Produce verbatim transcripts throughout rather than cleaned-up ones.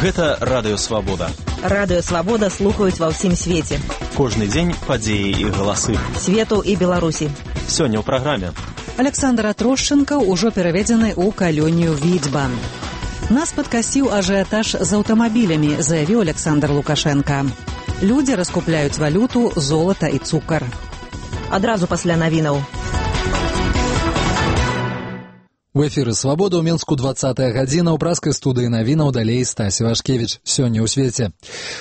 Гэта Радыё Свабода. Радыё Свабода слухаюць ва ўсім свеце. Кожны дзень падзеі і галасы. Свету і Беларусі. Сёння ў праграме. Александр Атрушченко ўжо пераведзены ў калонію Віцьба. Нас падкасіў ажыятаж з аўтамабілямі, заявіў Александр Лукашенко. Людзі раскупляюць валюту, золата і цукар. Адразу пасля навінаў. У эфіры «Свабода» ў Менску двадцатая гадзіна, ў праскай студыі навінаў далей Стась Івашкевіч. Сёння ў свеце.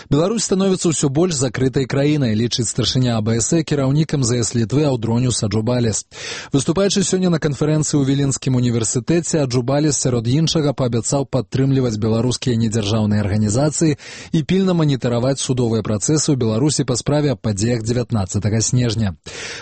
Беларусь становіцца ўсё больш закрытай краінай, лічыць старшыня АБС, кіраўнік эм зэ эс Літвы Аўдроніус Аджубалес. Выступаючы сёння на канферэнцыі ў Віленскім універсітэце, Аджубалес сярод іншага паабяцаў падтрымліваць беларускія недзяржаўныя арганізацыі і пільна манітэраваць судовыя працэсы ў Беларусі па справе аб падзеях дзевятнаццатага снежня.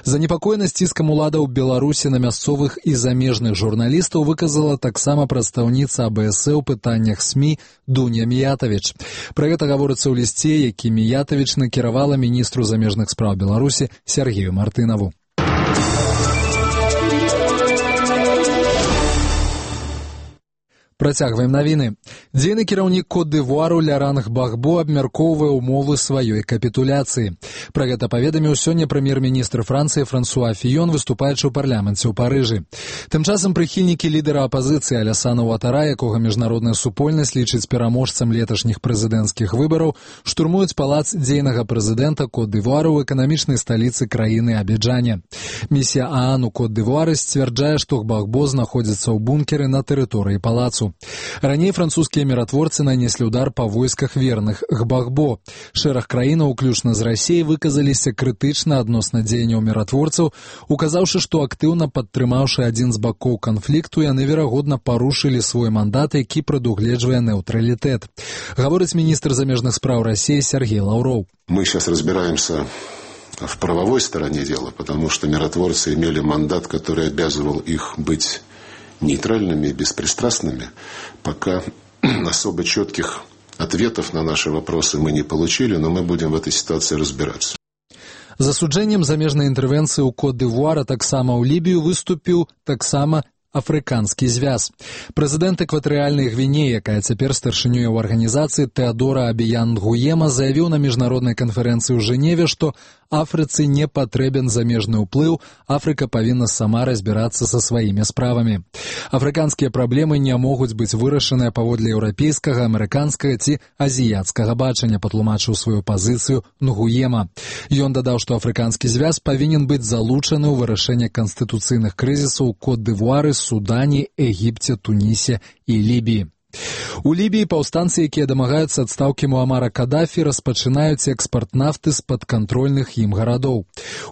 Занепакоенасць ціскам уладаў Беларусі на мясцовых і замежных журналістаў выказала таксама прадстаўніца АБС ў пытаннях СМІ Дуня Міятавіч. Пра гэта гаворыцца ў лісце, які Міятавіч накіравала міністру замежных спраў Беларусі Сергею Мартынаву. Працягваем навіны. Дзейны кіраўнік Кот-д'Івуару Ляранг Багбо абмяркоўвае ўмовы сваёй капітуляцыі. Пра гэта паведаміў сёння прэм'ер-міністр Францыі Франсуа Фіён, выступаючы ў парламенце ў Парыжы. Тым часам прыхільнікі лідара апазіцыі Алясана Уатара, якога міжнародная супольнасць лічыць пераможцам леташніх прэзідэнцкіх выбараў, штурмуюць палац дзейнага прэзідэнта Кот-д'Івуару ў эканамічнай сталіцы краіны Абіджане. Місія ААН у Кот-д'Івуары сцвярджае, што Багбо знаходзіцца ў бункеры на тэрыторыі палацу. Раней французскія міратворцы нанеслі ўдар па войсках верных Гбагбо. Шэраг краінаў, уключна з Расіяй, выказаліся крытычна адносна дзеянняў міратворцаў, указаўшы, што актыўна падтрымаўшы адзін з бакоў канфлікту, яны, верагодна, парушылі свой мандат, які прадугледжвае нейтралітэт. Гаворыць міністр замежных спраў Расіі Сергей Лаўроў. Мы сейчас разбираемся в правовой стороне дела, потому что миротворцы имели мандат, который обязывал их быть нейтральными и беспристрастными. Пока особо четких ответов на наши вопросы мы не получили, но мы будем в этой ситуации разбираться. Засуджэннем замежнай інтэрвенцыі ў Кот-д'Івуара таксама ў Лібію выступіў таксама Афрыканскі звяз. Прэзідэнт экватарыяльнай Гвінеі, якая цяпер старшынёй у арганізацыі, Тэадора Абіян Нгуема, заявіў на міжнароднай канферэнцыі ў Жэневе, што Афрыцы не патрэбен замежны ўплыў, Афрыка павінна сама разбірацца са сваімі справамі. Афрыканскія праблемы не могуць быць вырашаныя паводле еўрапейскага, амерыканскага ці азіяцкага бачання, патлумачыў сваю пазіцыю Нгуема. Ён дадаў, што Афрыканскі звяз павінен быць залучаны ў вырашэнне канстытуцыйных крызісаў у Кот-д'Івуары, Судані, Егіпце, Тунісе і Лібіі. У Лібіі паўстанцы, якія дамагаюцца адстаўкі Муамара Кадафі, распачынаюць экспарт нафты з падкантрольных ім гарадоў.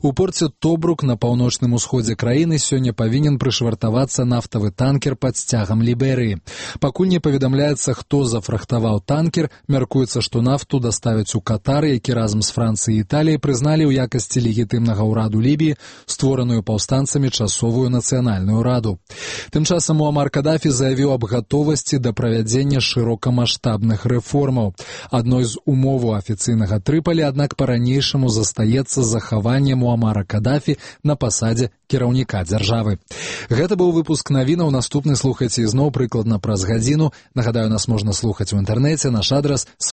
У порце Тобрук на паўночным усходзе краіны сёння павінен прышвартавацца нафтавы танкер пад сцягам Ліберыі. Пакуль не паведамляецца, хто зафрахтаваў танкер, мяркуецца, што нафту даставяць у Катар, які разам з Францыяй і Італіяй прызналі ў якасці легітымнага ўраду Лібіі, створаную паўстанцамі часовую нацыянальную раду. Тым часам Муамар Кадафі заявіў аб гатовасці да правядзення шырокамаштабных рэформаў. Адной з умоваў афіцыйнага Трыполі, аднак па-ранейшаму застаецца захаванне Муамара Кадафі на пасадзе кіраўніка дзяржавы. Гэта быў выпуск навінаў, наступны слухайце ізноў прыкладна праз гадзіну. Нагадаю, нас можна слухаць у інтэрнэце, наш адрас